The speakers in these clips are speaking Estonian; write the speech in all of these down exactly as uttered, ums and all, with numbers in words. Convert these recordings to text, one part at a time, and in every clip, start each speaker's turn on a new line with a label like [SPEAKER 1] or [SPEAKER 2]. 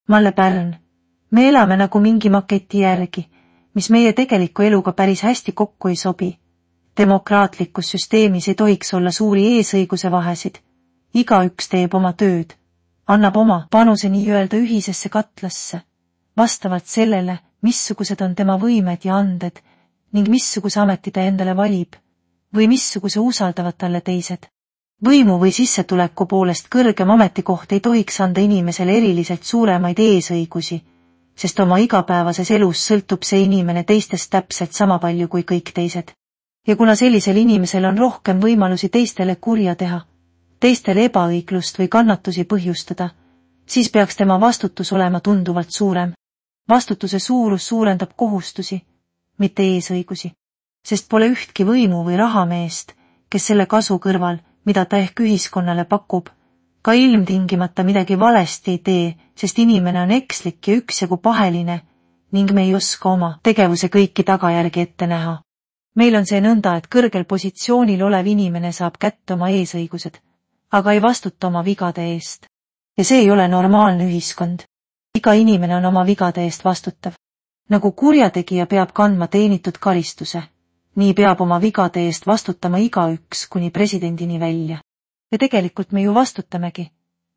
[SPEAKER 1] Malle Pärn. Me elame nagu mingi maketi järgi, mis meie tegeliku eluga päris hästi kokku ei sobi. Demokraatlikus süsteemis ei tohiks olla suuri eesõiguse vahesid. Igaüks teeb oma tööd, annab oma panuse nii-öelda ühisesse katlasse, vastavalt sellele, missugused on tema võimed ja anded ning missuguse ameti ta endale valib või missuguse usaldavad talle teised. Võimu või sissetuleku poolest kõrgem ametikoht ei tohiks anda inimesele eriliselt suuremaid eesõigusi, sest oma igapäevases elus sõltub see inimene teistest täpselt sama palju kui kõik teised. Ja kuna sellisel inimesel on rohkem võimalusi teistele kurja teha, teistele ebaõiglust või kannatusi põhjustada, siis peaks tema vastutus olema tunduvalt suurem. Vastutuse suurus suurendab kohustusi, mitte eesõigusi, sest pole ühtki võimu või rahameest, kes selle kasu kõrval, mida ta ehk ühiskonnale pakub, ka ilmtingimata midagi valesti ei tee, sest inimene on ekslik ja üksjagu paheline ning me ei oska oma tegevuse kõiki tagajärgi ette näha. Meil on see nõnda, et kõrgel positsioonil olev inimene saab kätte oma eesõigused, aga ei vastuta oma vigade eest. Ja see ei ole normaalne ühiskond. Iga inimene on oma vigade eest vastutav. Nagu kurjategija peab kandma teenitud karistuse, nii peab oma vigade eest vastutama igaüks kuni presidendini välja. Ja tegelikult me ju vastutamegi,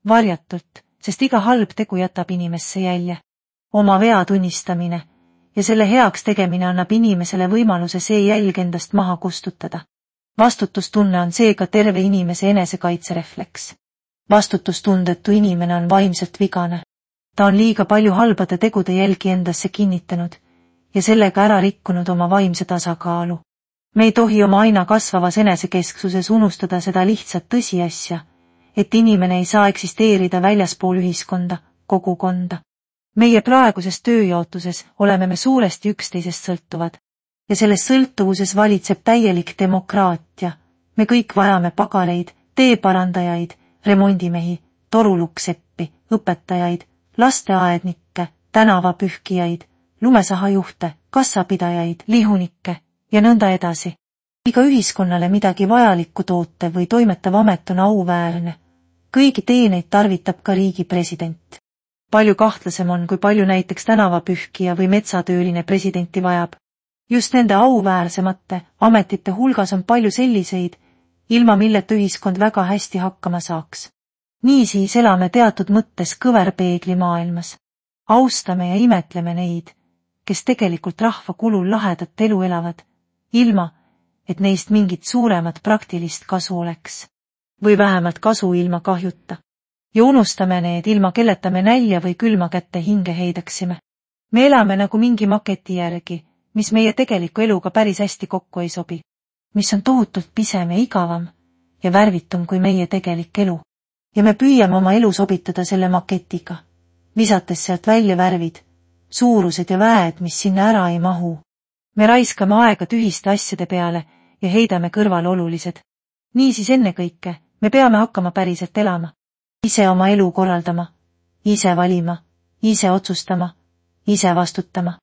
[SPEAKER 1] varjatult, sest iga halb tegu jätab inimesse jälje. Oma vea tunnistamine ja selle heaks tegemine annab inimesele võimaluse see jälg endast maha kustutada. Vastutustunne on seega terve inimese enesekaitserefleks. Vastutustundetu inimene on vaimselt vigane. Ta on liiga palju halbade tegude jälgi endasse kinnitanud ja sellega ära rikkunud oma vaimse tasakaalu. Me ei tohi oma aina kasvavas enesekesksuses unustada seda lihtsat tõsiasja, et inimene ei saa eksisteerida väljaspool ühiskonda, kogukonda. Meie praeguses tööjaotuses oleme me suuresti üksteisest sõltuvad ja selles sõltuvuses valitseb täielik demokraatia. Me kõik vajame pagareid, teeparandajaid, remondimehi, torulukseppi, õpetajaid, lasteaednikke, tänavapühkijaid, lumesahajuhte, kassapidajaid, lihunikke ja nõnda edasi. Iga ühiskonnale midagi vajalikku toote või toimetav amet on auväärne. Kõigi teeneid tarvitab ka riigi president. Palju kahtlasem on, kui palju näiteks tänavapühkija või metsatööline presidenti vajab. Just nende auväärsemate ametite hulgas on palju selliseid, ilma milleta ühiskond väga hästi hakkama saaks. Niisiis elame teatud mõttes kõverpeegli maailmas. Austame ja imetleme neid, kes tegelikult rahva kulul lahedat elu elavad, ilma, et neist mingit suuremat praktilist kasu oleks. Või vähemalt kasu ilma kahjuta. Ja unustame need, ilma kelleta me nälja või külma kätte hinge heidaksime. Me elame nagu mingi maketi järgi, mis meie tegeliku eluga päris hästi kokku ei sobi, mis on tohutult pisem ja igavam ja värvitum kui meie tegelik elu. Ja me püüame oma elu sobitada selle maketiga, visates sealt välja värvid, suurused ja väed, mis sinna ära ei mahu. Me raiskame aega tühiste asjade peale ja heidame kõrval olulised. Niisiis ennekõike me peame hakkama päriselt elama. Ise oma elu korraldama, ise valima, ise otsustama, ise vastutama.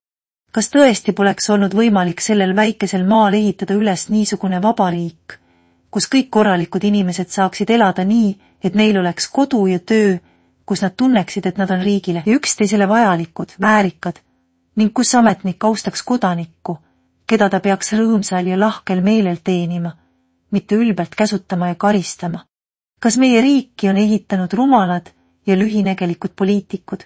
[SPEAKER 1] Kas tõesti poleks olnud võimalik sellel väikesel maal ehitada üles niisugune vabariik, kus kõik korralikud inimesed saaksid elada nii, et neil oleks kodu ja töö, kus nad tunneksid, et nad on riigile ja üksteisele vajalikud, väärikad, ning kus ametnik austaks kodanikku, keda ta peaks rõõmsal ja lahkel meelel teenima, mitte ülbelt käsutama ja karistama. Kas meie riiki on ehitanud rumalad ja lühinägelikud poliitikud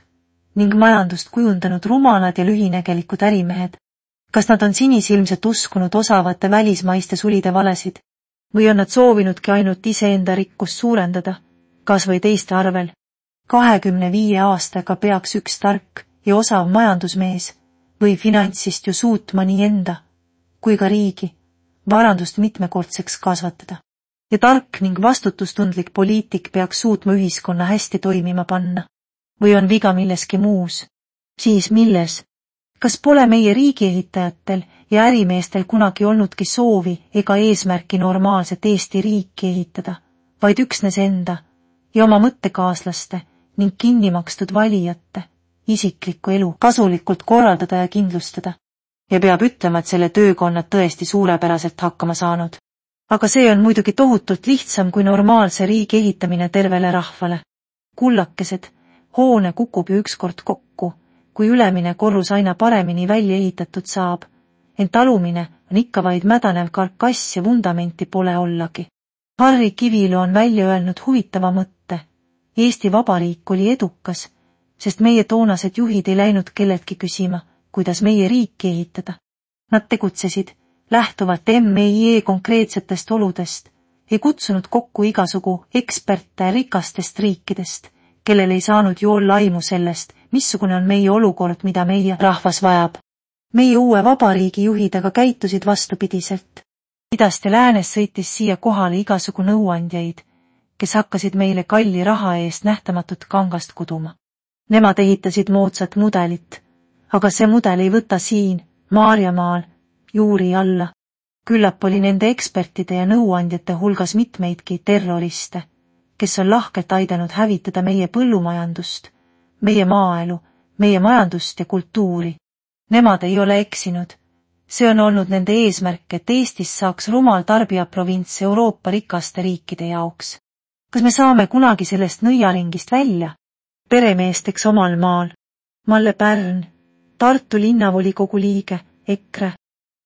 [SPEAKER 1] ning majandust kujundanud rumalad ja lühinägelikud ärimehed? Kas nad on sinisilmselt uskunud osavate välismaiste sulide valesid või on nad soovinudki ainult iseenda rikkust suurendada, kas või teiste arvel? kahekümne viie aastaga peaks üks tark ja osav majandusmees või finantsist ju suutma nii enda kui ka riigi varandust mitmekordseks kasvatada. Ja tark ning vastutustundlik poliitik peaks suutma ühiskonna hästi toimima panna. Või on viga milleski muus? Siis milles? Kas pole meie riigiehitajatel ja ärimeestel kunagi olnudki soovi ega eesmärki normaalset Eesti riiki ehitada, vaid üksnes enda ja oma mõttekaaslaste ning kinnimakstud valijate isiklikku elu kasulikult korraldada ja kindlustada? Ja peab ütlema, et selle töökonnad tõesti suurepäraselt hakkama saanud. Aga see on muidugi tohutult lihtsam kui normaalse riigi ehitamine tervele rahvale. Kullakesed, Hoone kukub ju ükskord kokku, kui ülemine korrus aina paremini välja ehitatud saab, ent alumine on ikka vaid mädanev karkass ja vundamenti pole ollagi. Harri Kivilu on välja öelnud huvitava mõtte. Eesti Vabariik oli edukas, sest meie toonased juhid ei läinud kelleltki küsima, kuidas meie riiki ehitada. Nad tegutsesid, lähtuvalt M I E konkreetsetest oludest, ei kutsunud kokku igasugu eksperte rikastest riikidest, kellel ei saanud ju olla aimu sellest, missugune on meie olukord, mida meie rahvas vajab. Meie uue vabariigi juhid aga käitusid vastupidiselt. Idast ja läänes sõitis siia kohale igasugu nõuandjaid, kes hakkasid meile kalli raha eest nähtamatut kangast kuduma. Nemad ehitasid moodsat mudelit, aga see mudel ei võta siin, Maarjamaal, juuri alla. Küllap oli nende ekspertide ja nõuandjate hulgas mitmeidki terroriste, kes on lahkelt aidanud hävitada meie põllumajandust, meie maaelu, meie majandust ja kultuuri. Nemad ei ole eksinud. See on olnud nende eesmärk, et Eestis saaks rumal tarbijaprovints Euroopa rikaste riikide jaoks. Kas me saame kunagi sellest nõiaringist välja? Peremeesteks omal maal. Malle Pärn, Tartu linnavolikogu liige, EKRE.